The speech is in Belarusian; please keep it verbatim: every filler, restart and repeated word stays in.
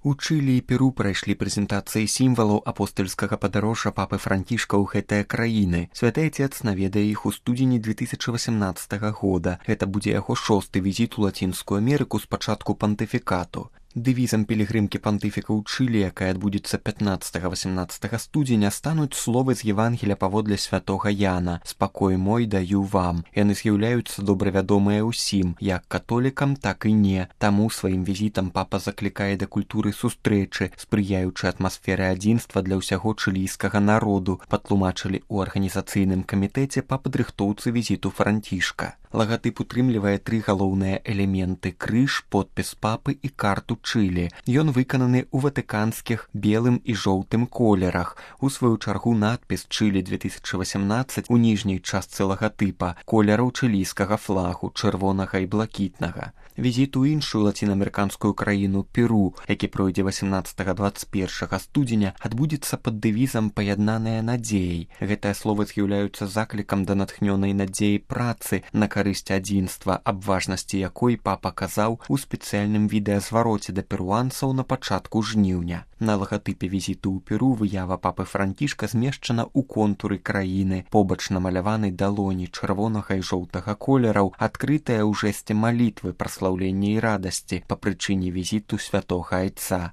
У Чылі і Перу прайшлі прэзентацыі сімвалаў апостальскага падарожжа папы Францішка ў гэтыя краіны. Святы Отец наведае іх у студзені две тысячы васямнаццатага года. Гэта будзе яго шосты візіт у Лацінскую Амерыку з пачатку пантыфікату. Дэвізам пілігрымкі пантыфіка ў Чылі, якая адбудзецца пятнаццатага-васямнаццатага студзеня, стануць словы з Евангелія паводле святога Яна «Спакой мой даю вам». Яны з'яўляюцца добравядомыя ўсім, як католікам, так і не. Таму сваім візітам папа заклікае да культуры сустрэчы, спрыяючы атмасферы адзінства для ўсяго чылійскага народу, патлумачылі ў арганізацыйным камітэце па падрыхтоўцы візіту Францішка. Лагатып утрымлівае тры галоўныя элементы: крыж, подпіс папы і карту Чылі. Ён выкананы ў ватыканскіх белым і жоўтым колерах. У сваю чаргу надпіс «Чылі две тысячы васямнаццаць» у ніжняй частцы лагатыпа колераў чылійскага флагу, чырвонага і блакітнага. Візіт у іншую лацінаамерыканскую краіну Перу, які пройдзе васямнаццатага дваццаць першага студзеня, адбудзецца пад дэвізам «Паяднаныя надзеяй». Гэтыя словы з'яўляюцца заклікам да натхнёнай надзеі працы на карысць адзінства, аб важнасці якой папа казаў у спецыяльным відэазвароце да перуанцаў на пачатку жніўня. На лагатыпе візіту ў Перу выява папы Францішка змешчана ў контуры краіны, побач намаляванай далоні чырвонага і жоўтага колераў, адкрытая ў жэсце малітвы, праслаўлення і радасці па прычыне візіту святога Айца.